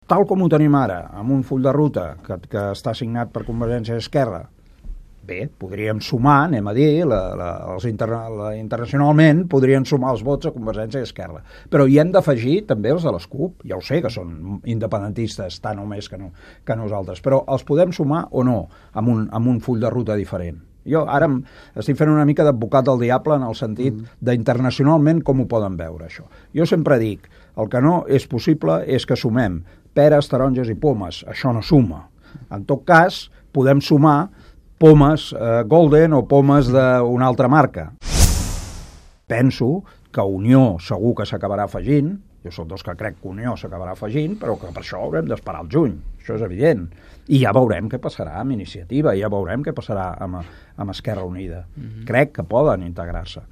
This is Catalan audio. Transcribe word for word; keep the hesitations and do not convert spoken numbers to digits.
tal com ho tenim ara, amb un full de ruta que, que està signat per Convergència i Esquerra, bé, podríem sumar, anem a dir, la, la, els interna, la, internacionalment podrien sumar els vots a Convergència i Esquerra. Però hi hem d'afegir també els de les CUP. Ja ho sé que són independentistes tant o més que, no, que nosaltres, però els podem sumar o no amb un, amb un full de ruta diferent. Jo ara estic fent una mica d'advocat del diable en el sentit mm. d'internacionalment com ho poden veure, això. Jo sempre dic, el que no és possible és que sumem peres, taronges i pomes. Això no suma. En tot cas, podem sumar pomes eh, Golden o pomes d'una altra marca. Penso que Unió segur que s'acabarà afegint, jo soc dels que crec que Unió s'acabarà afegint, però que per això haurem d'esperar el juny, això és evident. I ja veurem què passarà amb Iniciativa, ja veurem què passarà amb, amb Esquerra Unida. Mm-hmm. Crec que poden integrar-se.